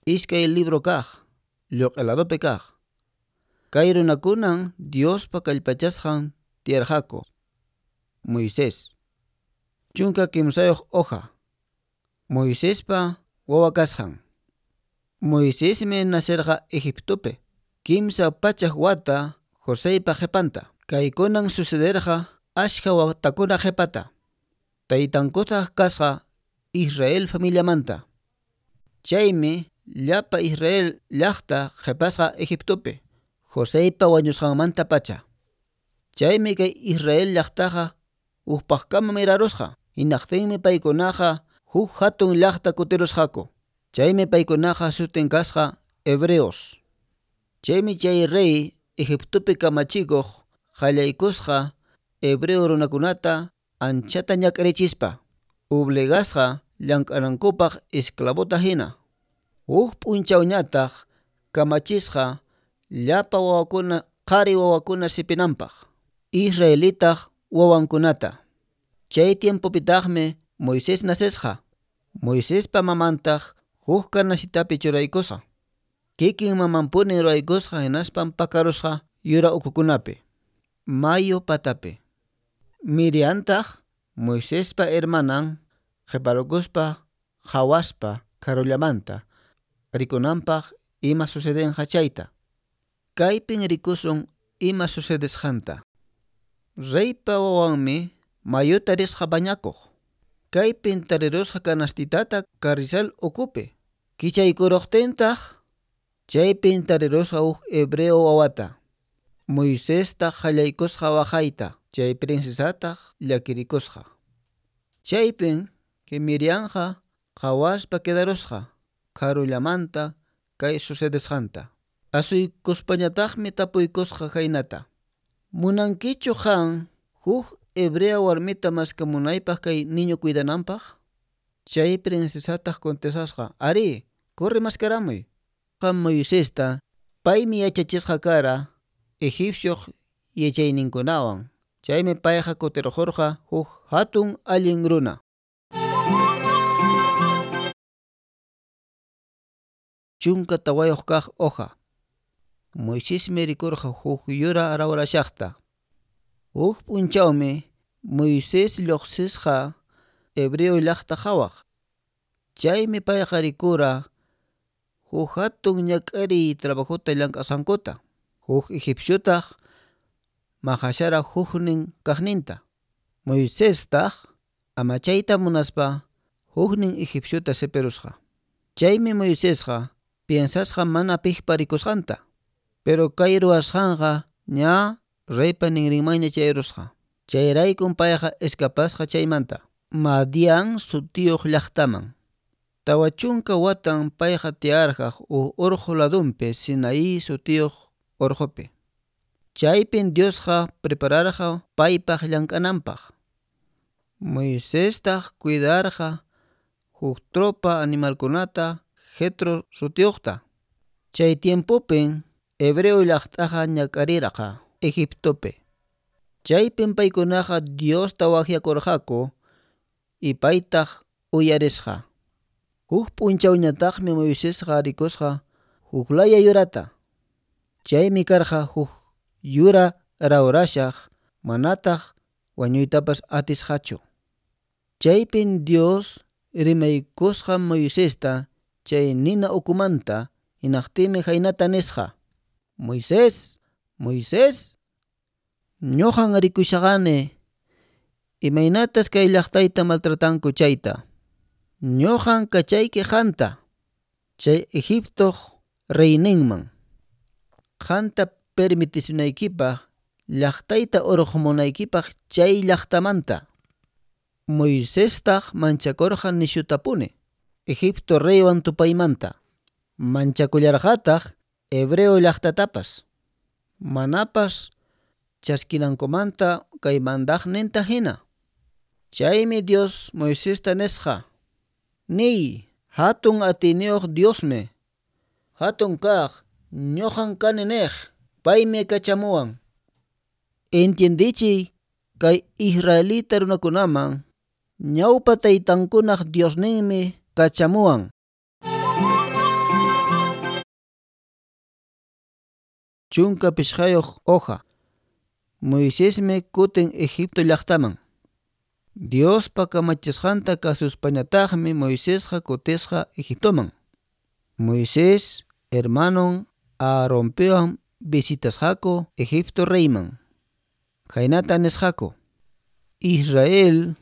Iskay libro kaq, lluq'i ladopi kaq. Kay runakunan Diospa kallpachasqan tiyarqaku. Moisés. 13 hoja. Moisespa wawa kasqan. Moisesmi nacerqa Egiptopi. 300 wata Joseypa qhipanta. Kaykunan sucederqa ashka watakuna qhipata. Taytankutaq kasqa Israel familiamanta. Chaymi llapa Israel llaqta qhipasqa Egiptopi, Joseypa wañusqanmanta pacha. Chaymi kay Israel llaqtaqa hukpaqkama mirarusqa. Hinaqtinmi paykunaqa huk hatun llaqta kutirusqaku. Chaymi paykunaqa sutin kasqa Hebreos. Chaymi chay rey Egiptopi kamachikuq qallaykusqa hebreo runakunata anchata ñak'arichispa, obligasqa llank'anankupaq esclavota hina. Huk p'unchawñataq kamachisqa llapa wawakuna qhari wawakuna sipinanpaq, israelitaq wawankunata. Chay tiempopitaqmi Moisés nacesqa. Moisespa mamantaq huk kanasitapi churaykusqa. Kikin mamanpuni ruraykusqa hinaspan pakarusqa yura ukukunapi, mayu patapi. Miriamtaq Moisespa hermanan qhiparukuspa qhawaspa karullamanta rikunanpaq ima sucedenqa chayta. Kaypin rikusun ima sucedesqanta. Reypa wawanmi mayuta risqa bañakuq. Kaypin tarirusqa kanastitata carrizal ukupi. Kichaykuruqtintaq chaypin tarirusqa huk hebreo wawata. Moisestaq qallaykusqa waqayta, chay princesataq llakirikusqa. Chaypin que Miriamqa qhawaspa quedarusqa karullamanta kay sucedesqanta. Asuykuspañataqmi tapuykusqa khaynata: Munankichu qan huk hebrea warmita maskamunaypaq kay niño cuidananpaq? Chay princesataq contestasqa: Arí, corre maskaramuy. Qam Moisesta paymi yachachisqa kara egipcioq yachayninkunawan. Chaymi payqa kutirqurqa huk hatun allin runa. 14 kaq hoja. Moisesmi rikurqa huk yura rawrashaqta. Huk p'unchawmi Moisés lluqsisqa hebreo llaqta qhawaq. Chaymi payqa rikura huk hatun ñak'ariy trabajota llank'asqankuta. Huk egipciotaq maqashara huknin kaqninta. Moisestaq amachayta munaspa huknin egipciota sipirusqa. Chaymi Moisesqa piensasqa mana piqpa rikusqanta. Pero kay ruwasqanqa ña reypa ninrinmanña chayrusqa. Chayraykun payqa escapasqa chaymanta Madián sutiyuq llaqtaman. 40 watan payqa tiyarqa huk urqu ladunpi Sinaí sutiyuq urqupi. Chaypin Diosqa prepararqa paypaq llank'ananpaq. Moisestaq cuidarqa huk tropa animalkunata Jetro sutiyuqta. Chay tiempopin hebreo llaqtaqa ñak'arirqa Egiptopi. Chaypin paykunaqa Diosta waqyakurqaku y paytaq uyarisqa. Huk p'unchawñataqmi Moisesqa rikusqa huk laya yurata. Chaymi karqa huk yura rawrashaq manataq wañuytapas atisqachu. Chaypin Dios rimaykusqa Moisesta chay nina ukumanta hinaqtinmi khaynata nisqa: Moisés, Moisés, ñuqan rikushaqani imaynatas kay llaqtayta maltratanku chayta. Ñuqan kachayki qanta chay Egiptoq reyninman. Qanta permitisunaykipaq llaqtayta urqumunaykipaq chay llaqtamanta. Moisestaq manchakurqa nishutapuni Egipto reywan tupaymanta. Manchakullarqataq hebreo llaqtatapas. Manapas chaskinankumanta kay mandaqninta hina. Chaymi Dios Moisesta nisqa: Niy, hatun atiyniyuq Diosmi. Hatun kaq ñuqan kani niq, paymi kachamuwan. Entiendichiy kay israelita runakunaman ñawpa taytankunaq Diosninmi kachamuwan. 15 hoja. Moisesmi kutin Egipto llaqtaman. Diospa kamachisqanta kasuspañataqmi Moisesqa kutisqa Egiptoman. Moisés hermanon Aaronpiwan visitasqaku Egipto reyman. Khaynata nisqaku: Israel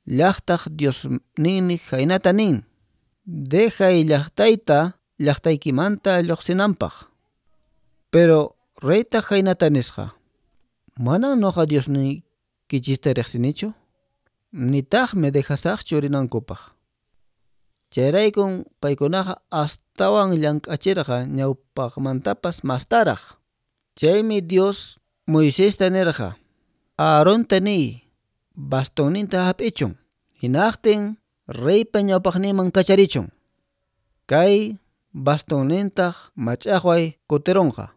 llaqtaq Diosninmi khaynata nin: Dejay llaqtayta llaqtaykimanta lluqsinanpaq. Pero reytaq khaynata nisqa: Manan noqa Diosniykichista riqsinichu, nitaqmi dejasaqchu rinankupaq. Chayraykun paykunaqa astawan llank'achirqa ñawpaqmantapas mastaraq. Chaymi Dios Moisesta nirqa: Aaronta niy, bastonninta hap'ichun, hinaqtin reypa ñawpaqninman kacharichun. Kay bastonnintaq mach'aqway kutirunqa.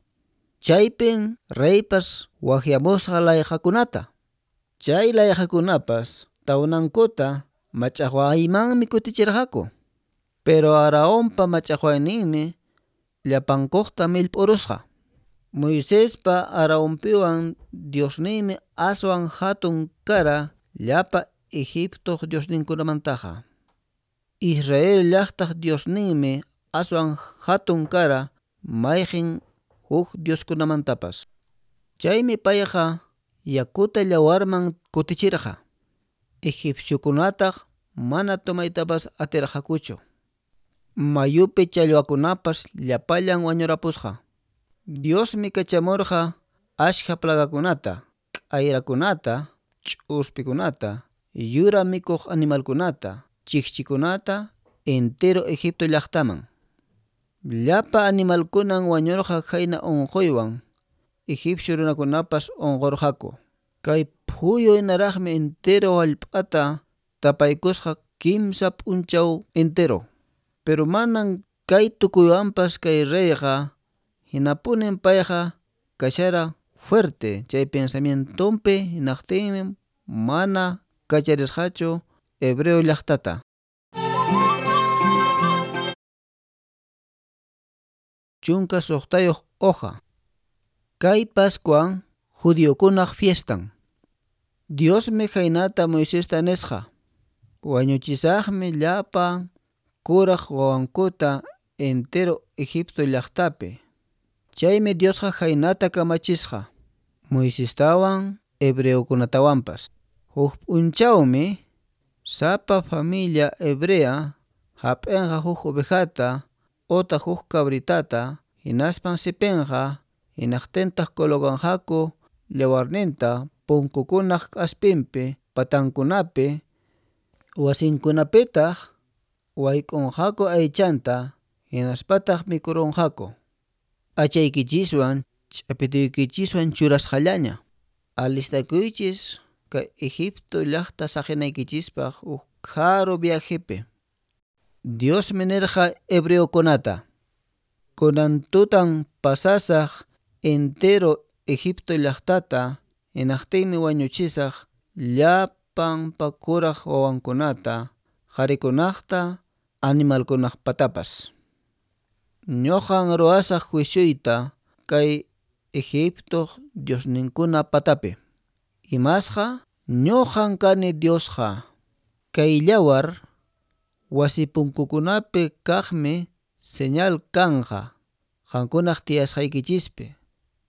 Chaypin reypas waqyamusqa layqakunata. Chay layqakunapas tawnankuta mach'aqwaymanmi kutichirqaku. Pero Aaronpa mach'aqwayninmi llapankuqta millp'urusqa. Moisespa Aaronpiwan Diosninmi aswan hatun kara llapa Egiptoq diosninkunamantaqa. Israel llaqtaq Diosninmi aswan hatun kara mayqin huk dioskunamantapas. Chaymi payqa yakuta yawarman kutichirqa. Egipciokunataq mana tomaytapas atirqakuchu. Mayupi challwakunapas llapallan wañurapusqa. Diosmi kachamurqa ashka plagakunata, k'ayrakunata, ch'uspikunata, yura mikuq animalkunata, chikchikunata entero Egipto llaqtaman. Llapa animalkunan wañurqa khayna unquywan, egipcio runakunapas unqurqaku. Kay phuyu hinaraqmi entero hallp'ata tapaykusqa kimsa p'unchaw entero. Pero manan kay tukuywanpas kay reyqa hinapunin payqa kashara fuerte chay pensamientonpi, hinaqtinmi mana kacharisqachu hebreo llaqtata. 16 hoja. Kay Pascuan judiokunaq fiestan. Diosmi khaynata Moisesta nisqa: Wañuchisaqmi llapa kuraq wawankuta entero Egipto llaqtapi. Chaymi Diosqa khaynata kamachisqa Moisestawan hebreokunatawanpas. Huk p'unchawmi sapa familia hebrea hap'inqa huk ovejata otaq huk cabritata, hinaspan sipinqa, hinaqtintaq colocanqaku yawarninta punkukunaq k'aspinpi, patankunapi, wasinkunapitaq wayk'unqaku aychanta, hinaspataq mikurunqaku. Achaykichiswan ch'apituykichiswan churasqallaña. Alistakuychis kay Egipto llaqta saqinaykichispaq huk karu viajepi. Diosmi nirqa hebreokunata: Kunan tutan pasasaq entero Egipto llaqtata, hinaqtinmi wañuchisaq llapanpa kuraq wawankunata, qharikunaqta, animalkunaqpatapas. Ñuqan ruwasaq juicioyta kay Egiptoq diosninkuna patapi. Imasqa ñuqan kani Diosqa. Kay yawar wasi punkukunapi kaqmi señal kanqa qankunaq tiyasqaykichispi.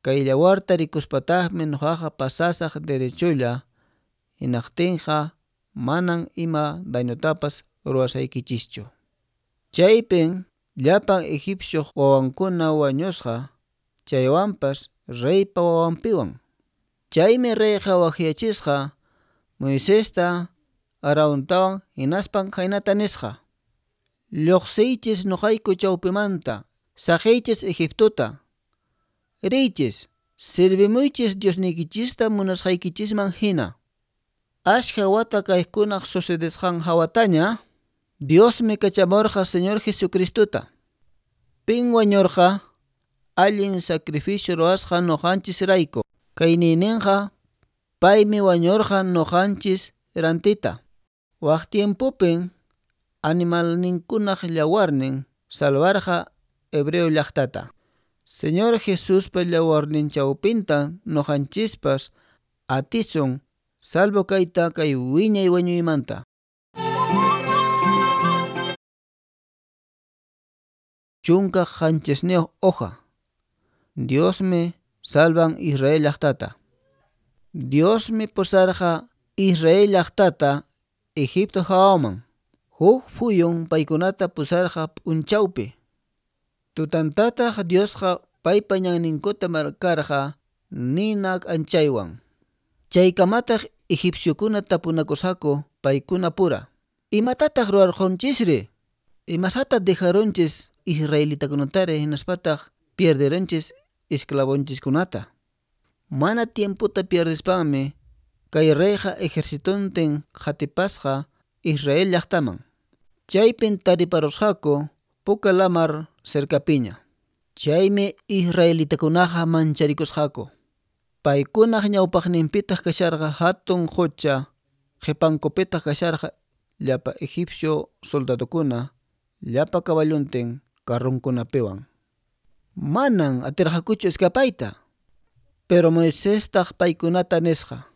Kay yawarta rikuspataqmi ñuqaqa pasasaq derecholla, hinaqtinqa manan ima dañotapas ruwasaykichischu. Chaypin llapan egipcioq wawankuna wañusqa, chaywanpas reypa wawanpiwan. Chaymi reyqa waqyachisqa Moisesta Aarontawan, hinaspan khaynata nisqa: Lluqsiychis ñuqayku chawpimanta, saqiychis Egiptota. Riychis, servimuychis Diosniykichista munasqaykichisman hina. Ashka wata kaykunaq sucedesqan hawataña, Diosmi kachamurqa Señor Jesucristota. Pin wañurqa allin sacrificio ruwasqa ñuqanchisrayku. Kayninqa paymi wañurqa ñuqanchis rantita. Waq tiempopin animalninkunaq yawarnin salvarqa hebreo llaqtata. Señor Jesuspa yawarnin chawpinta nuqanchispas atisun salvo kayta kay wiñay wañuymanta. 17 hoja. Diosmi salvan Israel llaqtata. Diosmi pusarqa Israel llaqtata Egipto hawaman. Huk phuyun paykunata pusarqa p'unchawpi. Tutantataq Diosqa paypa ñanninkuta markarqa nina k'anchaywan. Chaykamataq egipciokuna tapunakusqaku paykuna pura. Imatataq ruwarqunchisri? Imasata dejarunchis israelitakunatari hinaspataq pierderunchis esclavonchiskunata. Mana tiempota pierdispanmi kay reyqa ejercitontin qatipasqa Israel llaqtaman. Chaypin tariparusqaku Puka Lamar cercapiña. Chaymi israelitakunaqa mancharikusqaku. Paykunaq ñawpaqninpitaq kasharqa hatun qucha, qhipankupitaq kasharqa llapa egipcio soldadokuna, llapa caballontin carronkunapiwan. Manan atirqakuchu escapayta. Pero Moisestaq paykunata nisqa: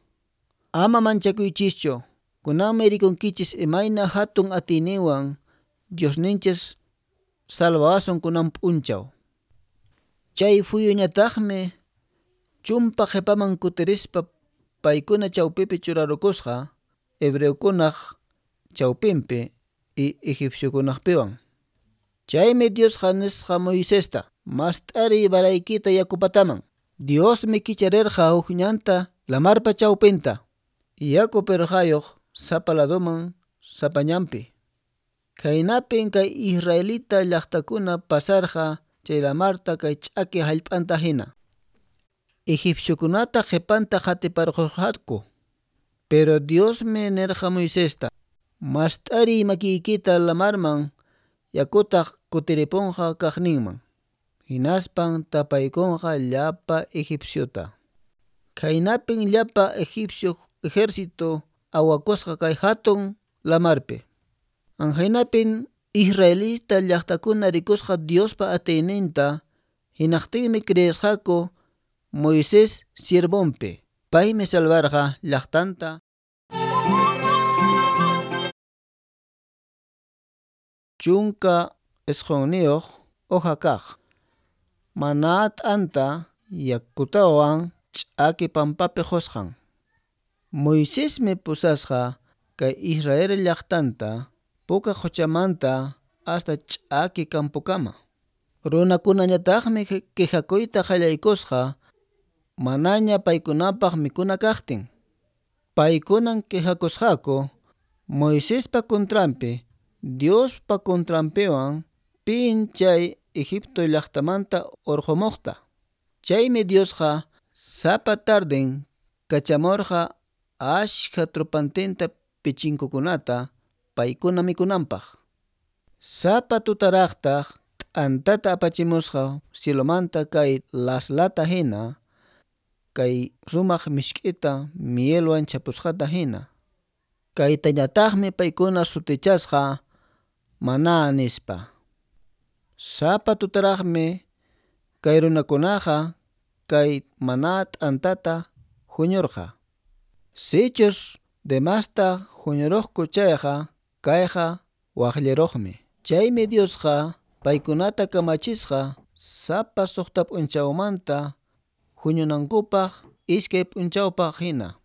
Ama manchakuychischu, kunanmi rikunkichis imayna hatun atiyninwan Diosninchis salvawasun kunan p'unchaw. Chay phuyuñataqmi chumpa qhipaman kutirispa paykuna chawpipi churarukusqa hebreokunaq chawpinpi y egipciokunaqpiwan. Chaymi Diosqa nisqa Moisesta: Mast'ariy varaykita yakupataman. Diosmi kicharirqa huk ñanta lamarpa chawpinta, yaku pirqayuq sapa ladoman sapa ñanpi. Khaynapin kay israelita llaqtakuna pasarqa chay lamarta kay ch'aki hallp'anta hina. Egipciokunata qhipanta qatiparqurqaku. Pero Diosmi nirqa Moisesta: Mast'ariy makiykita lamarman, yakutaq kutiripunqa kaqninman. Hinaspan tapaykunqa llapa egipciota. Khaynapin llapa egipcio ejército awakusqa kay hatun lamarpi. Anhaynapin israelita llaqtakuna rikusqa Diospa atiyninta, hinaqtinmi creesqaku Moisés siervonpi. Paymi salvarqa llaqtanta. 19 hoja kaq. Maná t'anta yakutawan ch'aki pampapi qusqan. Moisesmi pusasqa kay Israel llaqtanta Puka Quchamanta hasta ch'aki campokama. Runakunañataqmi quejakuyta qallaykusqa manaña paykunapaq mikuna kaqtin. Paykunan quejakusqaku Moisespa contranpi, Diospa contranpiwan pin chay Egipto llaqtamanta urqumuqta. Chaymi Diosqa sapa tarden kachamurqa ashka tropantinta pichinkukunata paykuna mikunanpaq. Sapa tutaraqtaq t'antata apachimusqa cielomanta kay laslata hina, kay sumaq misk'ita mielwan chapusqata hina. Kaytañataqmi paykuna sutichasqa maná nispa. Sapa tutaraqmi kay runakunaqa kay maná t'antata huñurqa. Sichus demasta huñuruqku chayqa kayqa waqlliruqmi. Chaymi Diosqa paykunata kamachisqa sapa suqta p'unchawmanta huñunankupaq iskay p'unchawpaq hina.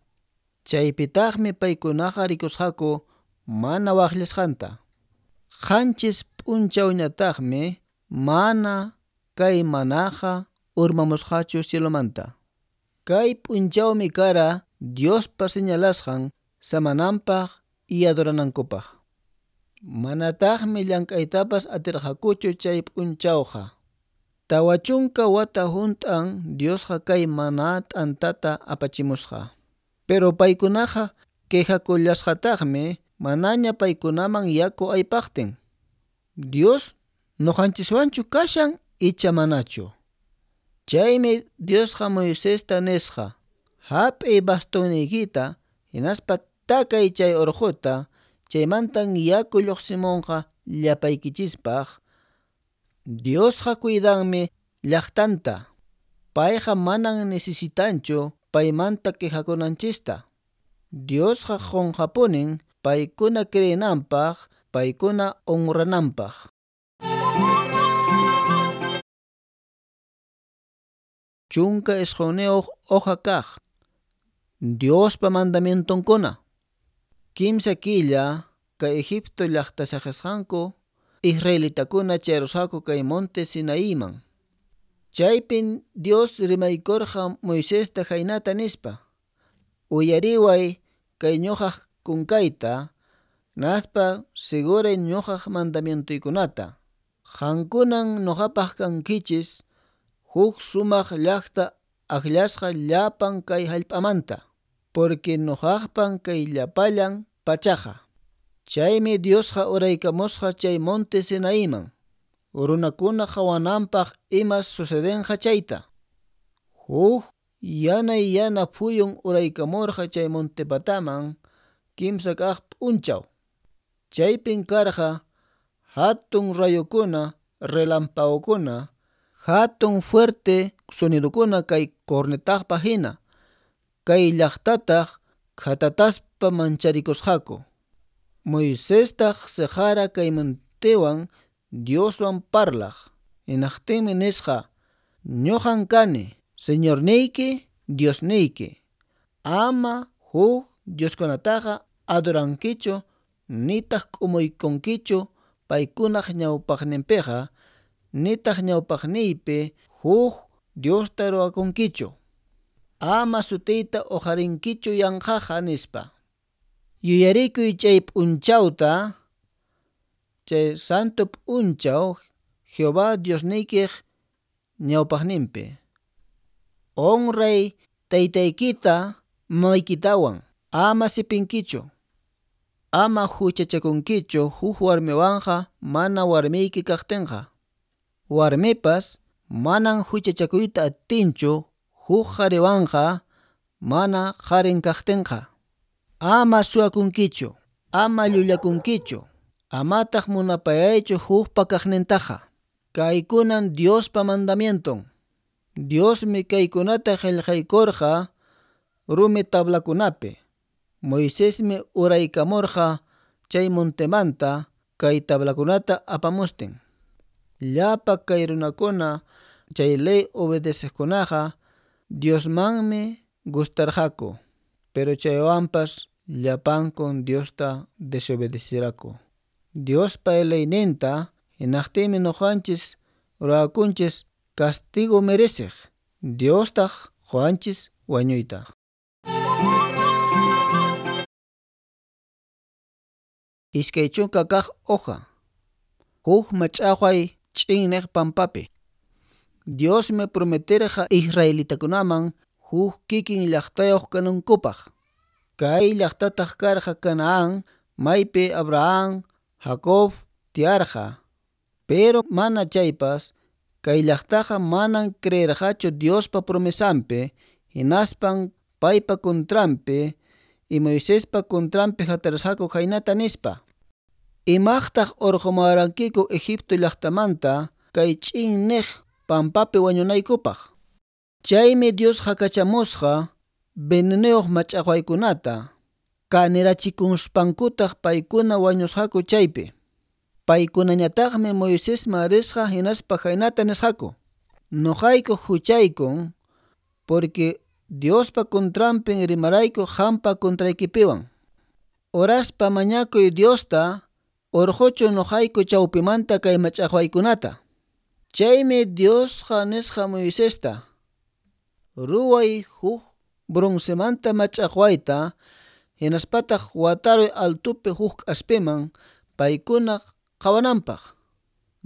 Chaypitaqmi paykunaqa rikusqaku mana waqllisqanta. 7 p'unchawñataqmi mana kay manaqa urmamusqachu cielomanta. Kay p'unchawmi kara Diospa señalasqan samananpaq y adoranankupaq. Manataqmi llank'aytapas atirqakuchu chay p'unchawqa. 40 wata hunt'an Diosqa kay maná t'antata apachimusqa. Pero paykunaqa quejakullasqataqmi manaña paykunaman yaku aypaqtin. Dios nuqanchiswanchu kashan icha manachu. Chaymi Diosqa Moisesta nisqa: Hap'iy bastonniykita hinaspa takay chay urquta, chaymantan yaku lluqsimunqa llapaykichispaq. Diosqa cuidanmi llaqtanta. Payqa manan necesitanchu paymanta quejakunanchista. Diosqa qonqapunin paykuna creenanpaq, paykuna honrananpaq. 19 hoja kaq. Diospa mandamientonkuna. 3 killa kay Egipto llaqta saqesqanku israelitakuna chayrusqaku kay monte Sinaiman. Chaypin Dios rimaykurqa Moisesta khaynata nispa: Uyariway kay ñuqaq kunkayta, naspa siguray ñuqaq mandamientoykunata. Qankunan ñuqapaq kankichis huk sumaq llaqta akllasqa llapan kay hallp'amanta, porque ñuqaqpan kay llapallan pachaqa. Chaymi Diosqa uraykamusqa chay monte Sinaiman, runakuna qhawananpaq imas sucedenqa chayta. Huk yanay yana phuyun uraykamurqa chay monte pataman 3 kaq p'unchaw. Chaypin karqa hatun rayokuna, relampagokuna, hatun fuerte sonidokuna kay cornetaqpa hina. Kay llaqtataq khatataspa mancharikusqaku. Moisestaq siqara kay montewan Dioswan parlaq. Hinaqtinmi nisqa: Ñuqan kani, Señorniyki, Diosniyki. Ama huk dioskunataqa adorankichu nitaq k'umuykunkichu paykunaq ñawpaqninpiqa, nitaq ñawpaqniypi huk diosta ruwakunkichu. Ama sutiyta uqharinkichu yanqaqa, nispa. Yuyarikuy chay p'unchawta, chay santo p'unchaw Jehová Diosniykiq ñawpaqninpi. Honray taytaykita mamaykitawan, ama sipinkichu. Ama huchachakunkichu huk warmiwanqa mana warmiyki kaqtinqa. Warmipas manan huchachakuyta atinchu huk qhariwanqa mana qharin kaqtinqa. Ama suwakunkichu, ama llullakunkichu, amataq munapayaychu hukpa kaqnintaqa. Kaykunan Diospa mandamienton. Diosmi kaykunata qillqaykurqa rumi tablakunapi. Moisesmi uraykamurqa chay montemanta kay tablakunata apamustin. Llapa kay runakuna chay ley obedeceqkunaqa Diosmanmi gustarqaku, pero chaywanpas llapankun Diosta desobedeciraku. Diospa leyninta hinaqtinmi ñuqanchis ruwakunchis castigo mereceq. Diostaq qowanchis wañuyta. 20 kaq hoja. Huk mach'aqway ch'inneq pampapi. Diosmi prometerqa israelitakunaman huk kikin llaqtayuq kanankupaq. Kay llaqtataq karqa Canaán, maypi Abraham, Jacob tiyarqa. Pero mana chaypas, kay llaqtaqa manan creerqachu Diospa promesanpi, hinaspan paypa contranpi y Moisespa contranpi hatarisqaku khaynata nispa: Imaqtaq urqumuwarankiku Egipto llaqtamanta kay ch'inneq pampapi wañunaykupaq. Chaymi Diosqa kachamusqa venenoyuq mach'aqwaykunata, kanirachikuspankutaq paykuna wañusqaku chaypi. Paykunañataqmi Moisesman risqa hinaspa khaynata nisqaku: Ñuqayku huchaykun, porque Diospa contranpin rimarayku qampa contraykipiwan. Oraspa mañakuy Diosta urquchun ñuqayku chawpimanta kay mach'aqwaykunata. Chaymi Diosqa nisqa Moisesta: Ruway huk broncemanta mach'aqwayta hinaspataq wataruy altopi huk k'aspiman paykuna qhawananpaq.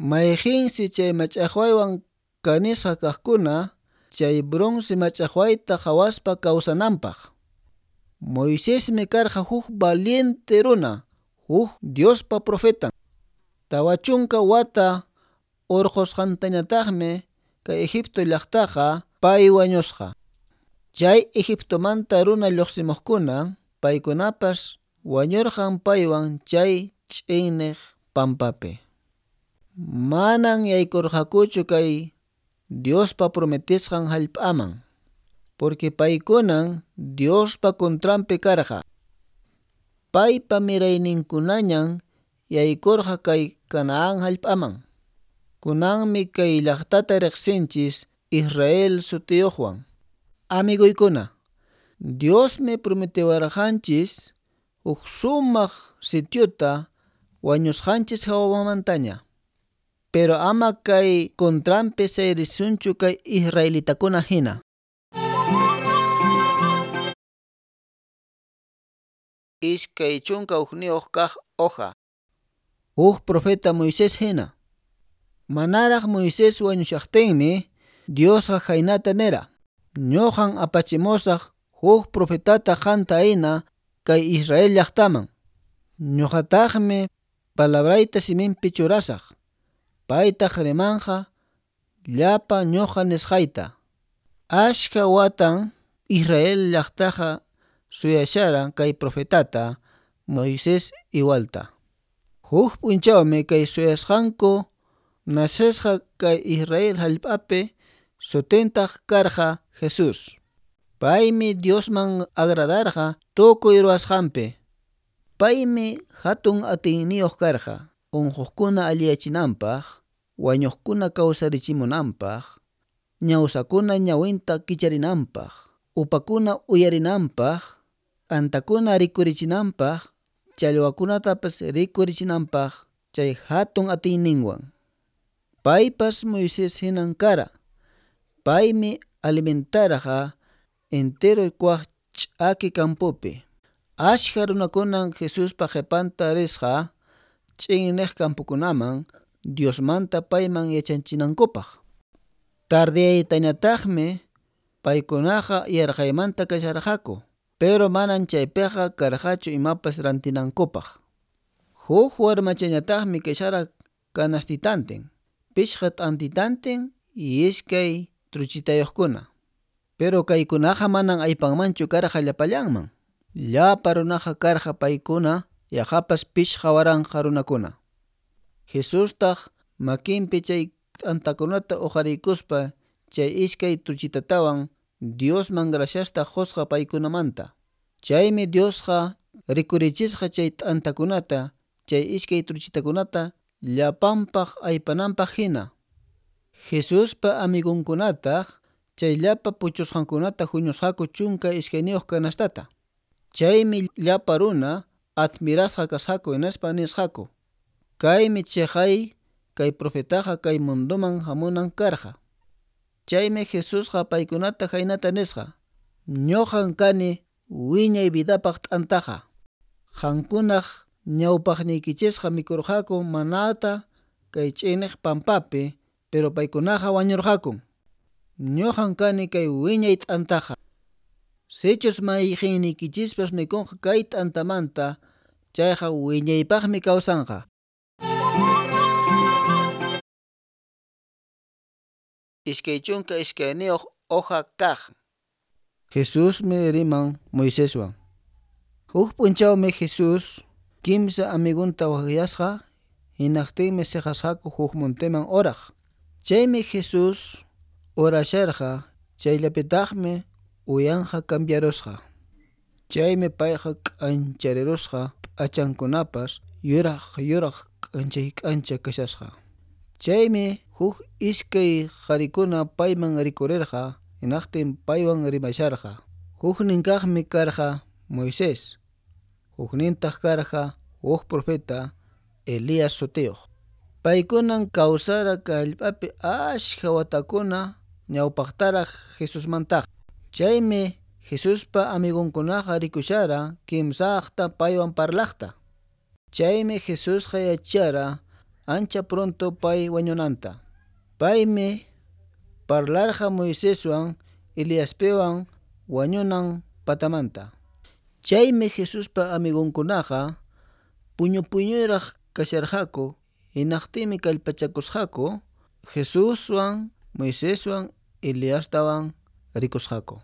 Mayqinsi chay mach'aqwaywan kanisqa kaqkuna chay bronce mach'aqwayta qhawaspa kawsananpaq. Moisesmi karqa huk valiente runa, huk Diospa profetan. 40 wata urqusqantañataqmi kay Egipto llaqtaqa pay wañusqa. Chay Egiptomanta runa lluqsimuqkuna paykunapas wañurqan paywan chay ch'inneq pampapi. Manan yaykurqakuchu kay Diospa prometisqan hallp'aman, porque paykunan Diospa contranpi karqa. Paypa mirayninkunañan yaykurqa kay Canaán hallp'aman. Kunanmi kay llaqtata riqsinchis Israel sutiyuqwan. Amiguykuna, Diosmi prometiwarqanchis huk sumaq sitiota wañusqanchis hawamantaña. Pero ama kay contranpi sayrisunchu kay israelitakuna hina. 21 kaq hoja. Huk profeta Moisés hina. Manaraq Moisés wañushaqtinmi Diosqa khaynata nira: Ñuqan apachimusaq huk profetata qanta hina kay Israel llaqtaman. Ñuqataqmi palabrayta siminpi churasaq. Paytaq rimanqa llapa ñuqa nisqayta. Ashka watan Israel llaqtaqa suyasharan kay profetata Moisés igualta. Huk p'unchawmi kay suyasqanku nacesqa kay Israel hallp'api sutintaq karqa Jesús. Paymi Diosman agradarqa tukuy ruwasqanpi. Paymi hatun atiyniyuq karqa unquqkuna alliyachinanpaq, wañuqkuna kawsarichimunanpaq, ñawsakuna ñawinta kicharinanpaq, upakuna uyarinanpaq, t'antakuna rikurichinanpaq, challwakunatapas rikurichinanpaq chay hatun atiyninwan. Paypas Moisés hinan kara. Paymi alimentarqa entero kwaq ch'aki campopi. Ashka runakunan Jesuspa qhipanta risqa ch'inneq campokunaman Diosmanta payman yachachinankupaq. Tardeyaytañataqmi paykunaqa yarqaymanta kasharqaku, pero manan chaypiqa karqachu imapas rantinankupaq. Huk warmachañataqmi kashara kanastitantin, pishqa t'antitantin y iskay truchitayuqkuna. Pero kaykunaqa manan aypanmanchu karqa llapallanman. Llapa runaqa karqa paykuna yaqapas 5000 runakuna. Jesustaq makinpi chay t'antakunata uqariykuspa chay iskay truchitatawan Diosman graciasta qusqa paykunamanta. Chaymi Diosqa rikurichisqa chay t'antakunata, chay iskay truchitakunata llapanpaq aypananpaq hina. Jesuspa amigunkunataq chay llapa puchusqankunata huñusqaku 12 canastata. Chaymi llapa runa admirasqa kasqaku hinaspa nisqaku: Kaymi chiqay kay profetaqa kay mundoman hamunan karqa. Chaymi Jesusqa paykunata khaynata nisqa: Ñuqan kani wiñay vidapaq t'antaqa. Qankunaq ñawpaqniykichisqa mikurqaku manata kay ch'inneq pampapi, pero paykunaqa wañurqakun. Ñuqan kani kay wiñay t'antaqa. Sichus mayqinniykichispas mikunqa kay t'antamanta, chayqa wiñaypaqmi kawsanqa. 22 hoja kaq. Jesusmi riman Moiseswan. Huk p'unchawmi Jesús kimsa amigunta waqyasqa, hinaqtinmi siqasqaku huk monteman oraq. Chaymi Jesús orasharqa, chayllapitaqmi uyanqa cambiarusqa. Chaymi payqa k'ancharirusqa, p'achankunapas yuraq yuraq k'anchay k'ancha kashasqa. Chaymi huk iskay qharikuna payman rikurirqa, hinaqtin paywan rimasharqa. Huknin kaqmi karqa Moisés, huknintaq karqa huk profeta Elías sutiyuq. Paykunan kawsara kay hallp'api ashka watakuna ñawpaqtaraq Jesusmantaqa. Chaymi Jesuspa amigunkunaqa rikushara kimsaqta paywan parlaqta. Chaymi Jesusqa yachara ancha pronto pay wañunanta. Paymi parlarqa Moiseswan Eliaspiwan wañunan patamanta. Chaymi Jesuspa amigunkunaqa puñu puñuyraq kasharqaku, hinaqtinmi kallpachakusqaku Jesuswan Moiseswan Eliastawan rikusqaku.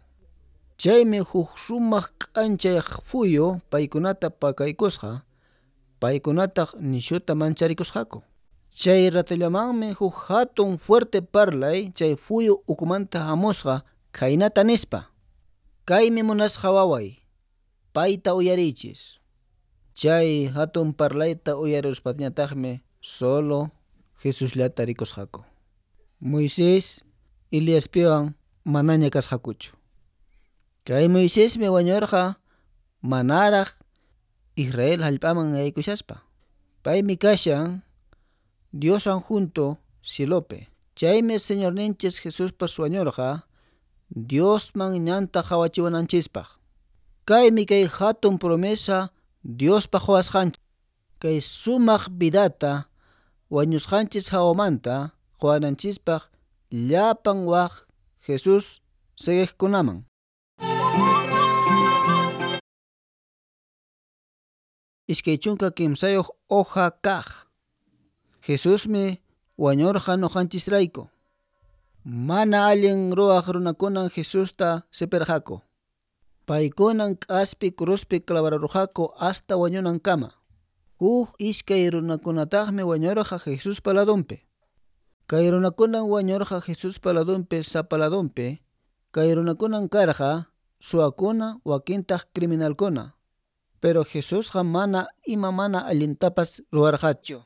Chaymi huk sumaq k'anchay phuyu paykunata pakaykusqa, paykunataq nishuta mancharikusqaku. Chay ratollamanmi huk hatun fuerte parlay chay fuyu ukumanta hamusqa khaynata nispa: Kaymi munasqa waway, payta uyariychis. Chay hatun parlayta uyarispañataqmi solo Jesusllata rikusqaku. Moisés, Eliaspiwan manaña kasqakuchu. Kay Moisesmi wañurqa manaraq Israel hallp'aman yaykushaspa. Paymi kashan Dioswan junto cielopi. Chaymi Señorninchis Jesuspas wañurqa Diosman ñanta qhawachiwananchispaq. Kaymi kay hatun promesa Diospa quwasqanchis. Kay sumaq vidata wañusqanchis hawamanta quwananchispaq llapan waq Jesús siguiqkunaman. 23 hoja kaq. Jesusmi wañurqa ñuqanchisrayku. Mana allin ruwaq runakunan Jesusta sipirqaku. Paykunan k'aspi cruzpi clavarurqaku hasta wañunankama. Huk iskay runakunataqmi wañurqa Jesuspa ladunpi. Kay runakunan wañurqa Jesuspa ladunpi sapa ladunpi. Kay runakunan karqa suwakuna wakintaq criminalkuna. Pero Jesusqa mana ima mana allintapas ruwarqachu.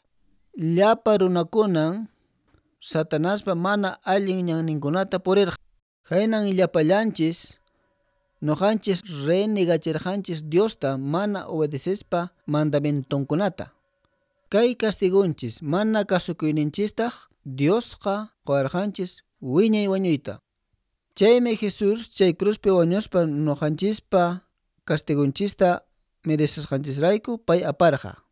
Llapa runakunan Satanaspa mana allin ñanninkunata purirqa. Khaynan llapallanchis ñuqanchis renegachirqanchis Diosta mana obedecespa mandamientonkunata. Kay castigunchis mana kasukuyninchistaq Diosqa quwarqanchis wiñay wañuyta. Chaymi Jesús chay cruzpi wañuspa ñuqanchispa castigunchista merecesqanchisrayku pay aparqa.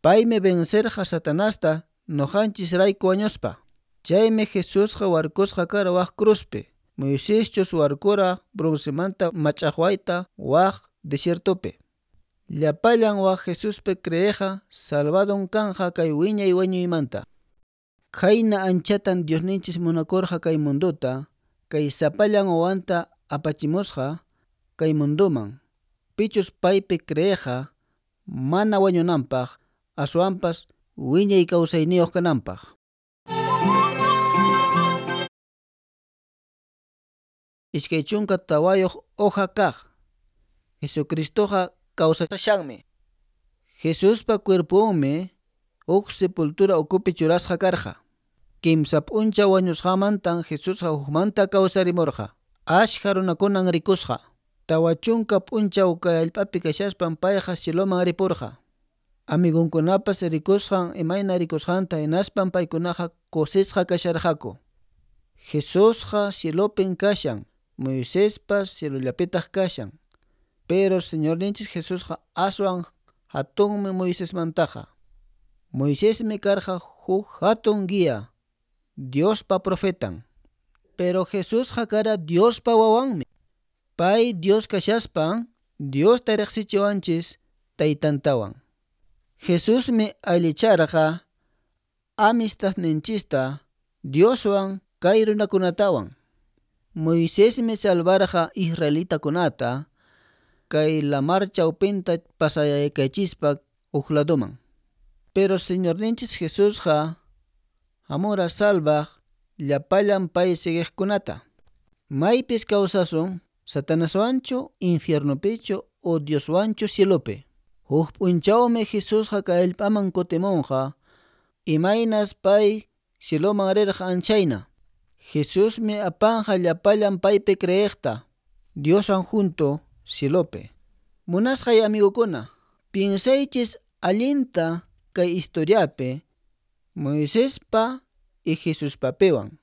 Paymi vencerqa Satanasta ñuqanchisrayku wañuspa. Chaymi Jesusqa warkusqa kara waq cruzpi. Moiseschus warkura broncemanta mach'aqwayta waq desiertopi. Llapallan waq Jesuspi creeqa salvadon kanja kay wiñay wañuymanta. Khayna anchatan Diosninchis munakurqa kay mundota, kay sapallan wawanta apachimusqa kay munduman. Pichus paypi creeqa mana wañunanpaq, aswanpas wiñay kawsayniyuq kananpaq. 24 hoja kaq. Jesucristoqa kawsashanmi. Jesuspa cuerponmi huk sepultura ukupi churasqa karqa. Kimsa p'unchaw wañusqamantan Jesusqa hukmanta kawsarimurqa. Ashkha runakunan rikusqa. 40 p'unchaw kay hallp'api kashaspan payqa cieloman ripurqa. Amigunkunapas rikusqan imayna rikusqanta hinaspan paykunaqa kusisqa kasharqaku. Jesusqa cielopin kashan, Moisespas cielollapitaq kashan. Pero Señorninchis Jesusqa aswan hatunmi Moisesmantaqa. Moisesmi karqa huk hatun guía, Diospa profetan. Pero Jesusqa kara Diospa wawanmi. Pay Dios kashaspan Diosta riqsichiwanchis taytantawan. Jesusmi allicharqa amistadninchista Dioswan kay runakunatawan. Moisesmi salvarqa israelitakunata kay lamar chawpinta pasayaykachispa huk laduman. Pero Señorninchis Jesusqa hamura salvaq llapallan pay siguiqkunata. Maypis kawsasun Satanaswanchu infiernopichu o Dioswanchu cielopi. Huk p'unchawmi Jesusqa kay hallp'aman kutimunqa imaynas pay cieloman rirqa anchayna. Jesusmi apanja llapallan paypi creeqta Dioswan junto cielopi. Munasqay amigokuna, piensaychis allinta kay historiapi Moisespa y Jesuspapiwan.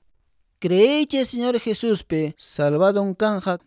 Creeychis Señor Jesuspi salvadon kanja